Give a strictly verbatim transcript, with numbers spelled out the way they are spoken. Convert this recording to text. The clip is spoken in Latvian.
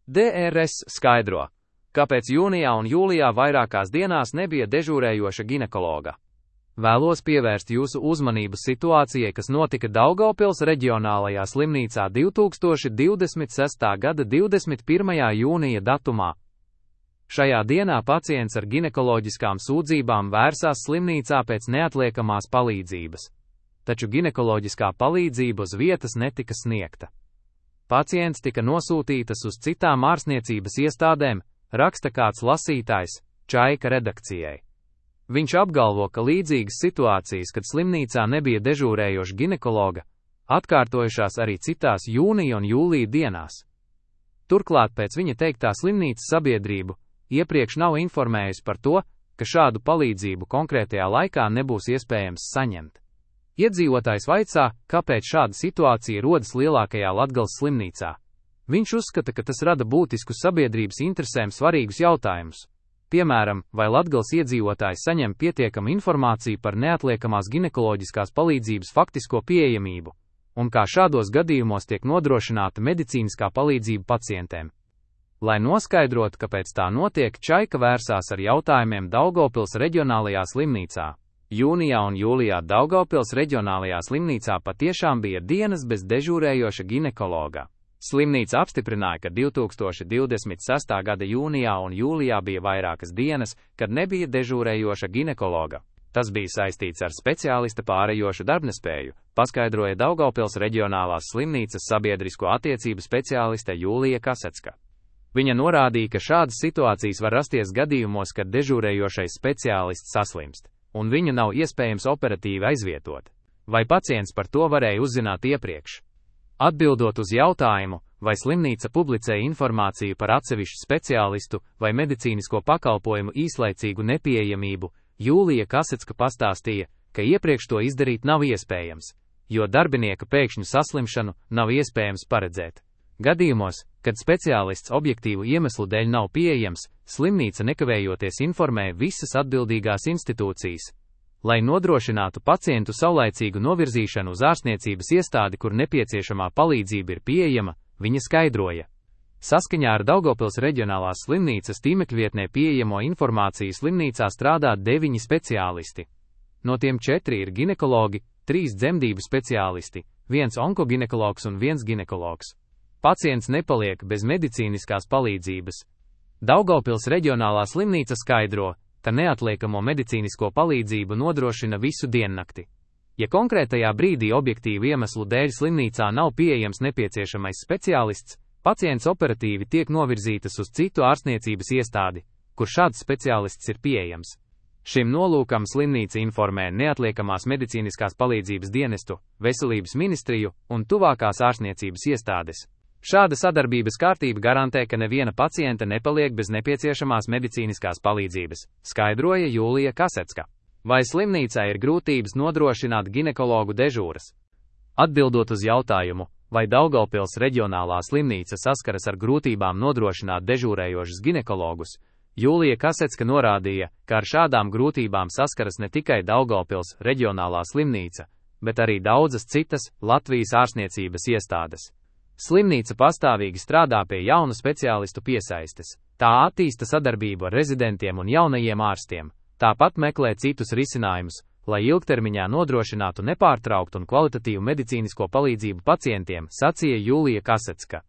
D R S skaidro, kāpēc jūnijā un jūlijā vairākās dienās nebija dežūrējoša ginekologa. Vēlos pievērst jūsu uzmanību situācijai, kas notika Daugavpils reģionālajā slimnīcā divtūkstoš divdesmit sestā gada divdesmit pirmajā jūnija datumā. Šajā dienā pacients ar ginekoloģiskām sūdzībām vērsās slimnīcā pēc neatliekamās palīdzības, taču ginekoloģiskā palīdzība uz vietas netika sniegta. Pacients tika nosūtītas uz citām ārstniecības iestādēm, raksta kāds lasītājs Čaika redakcijai. Viņš apgalvo, ka līdzīgas situācijas, kad slimnīcā nebija dežūrējoša ginekologa, atkārtojušās arī citās jūnija un jūlija dienās. Turklāt pēc viņa teiktā slimnīcas sabiedrību iepriekš nav informējusi par to, ka šādu palīdzību konkrētajā laikā nebūs iespējams saņemt. Iedzīvotājs vaicā, kāpēc šāda situācija rodas lielākajā Latgales slimnīcā. Viņš uzskata, ka tas rada būtiskus sabiedrības interesēm svarīgus jautājumus. Piemēram, vai Latgales iedzīvotāji saņem pietiekamu informāciju par neatliekamās ginekoloģiskās palīdzības faktisko pieejamību, un kā šādos gadījumos tiek nodrošināta medicīniskā palīdzība pacientiem. Lai noskaidrotu, kāpēc tā notiek, Čaika vērsās ar jautājumiem Daugavpils reģionālajā slimnīcā. Jūnijā un jūlijā Daugavpils reģionālajā slimnīcā patiešām bija dienas bez dežūrējoša ginekologa. Slimnīca apstiprināja, ka divtūkstoš divdesmit sestā gada jūnijā un jūlijā bija vairākas dienas, kad nebija dežūrējoša ginekologa. Tas bija saistīts ar speciālista pārējošu darbnespēju, paskaidroja Daugavpils reģionālās slimnīcas sabiedrisko attiecību speciāliste Jūlija Kasecka. Viņa norādīja, ka šādas situācijas var rasties gadījumos, kad dežūrējošais speciālists saslimst, un viņu nav iespējams operatīvi aizvietot. Vai pacients par to varēja uzzināt iepriekš? Atbildot uz jautājumu, vai slimnīca publicēja informāciju par atsevišķu speciālistu vai medicīnisko pakalpojumu īslaicīgu nepieejamību, Jūlija Kasecka pastāstīja, ka iepriekš to izdarīt nav iespējams, jo darbinieka pēkšņu saslimšanu nav iespējams paredzēt. Gadījumos, kad speciālists objektīvu iemeslu dēļ nav pieejams, slimnīca nekavējoties informē visas atbildīgās institūcijas, lai nodrošinātu pacientu saulaicīgu novirzīšanu uz ārstniecības iestādi, kur nepieciešamā palīdzība ir pieejama, viņa skaidroja. Saskaņā ar Daugavpils reģionālās slimnīcas tīmekļvietnē pieejamo informāciju slimnīcā strādā deviņi speciālisti. No tiem četri ir ginekologi, trīs dzemdību speciālisti, viens onkoginekologs un viens ginekologs. Pacients nepaliek bez medicīniskās palīdzības. Daugavpils reģionālā slimnīca skaidro, ka neatliekamo medicīnisko palīdzību nodrošina visu diennakti. Ja konkrētajā brīdī objektīvu iemeslu dēļ slimnīcā nav pieejams nepieciešamais speciālists, pacients operatīvi tiek novirzītas uz citu ārstniecības iestādi, kur šāds speciālists ir pieejams. Šim nolūkam slimnīca informē neatliekamās medicīniskās palīdzības dienestu, veselības ministriju un tuvākās ārstniecības iestādes. Šāda sadarbības kārtība garantē, ka neviena pacienta nepaliek bez nepieciešamās medicīniskās palīdzības, skaidroja Jūlija Kasecka. Vai slimnīcā ir grūtības nodrošināt ginekologu dežūras? Atbildot uz jautājumu, vai Daugavpils reģionālā slimnīca saskaras ar grūtībām nodrošināt dežūrējošus ginekologus, Jūlija Kasecka norādīja, ka ar šādām grūtībām saskaras ne tikai Daugavpils reģionālā slimnīca, bet arī daudzas citas Latvijas ārstniecības iestādes. Slimnīca pastāvīgi strādā pie jaunu speciālistu piesaistes. Tā attīsta sadarbību ar rezidentiem un jaunajiem ārstiem, tāpat meklē citus risinājumus, lai ilgtermiņā nodrošinātu nepārtrauktu un kvalitatīvu medicīnisko palīdzību pacientiem, sacīja Jūlija Kasecka.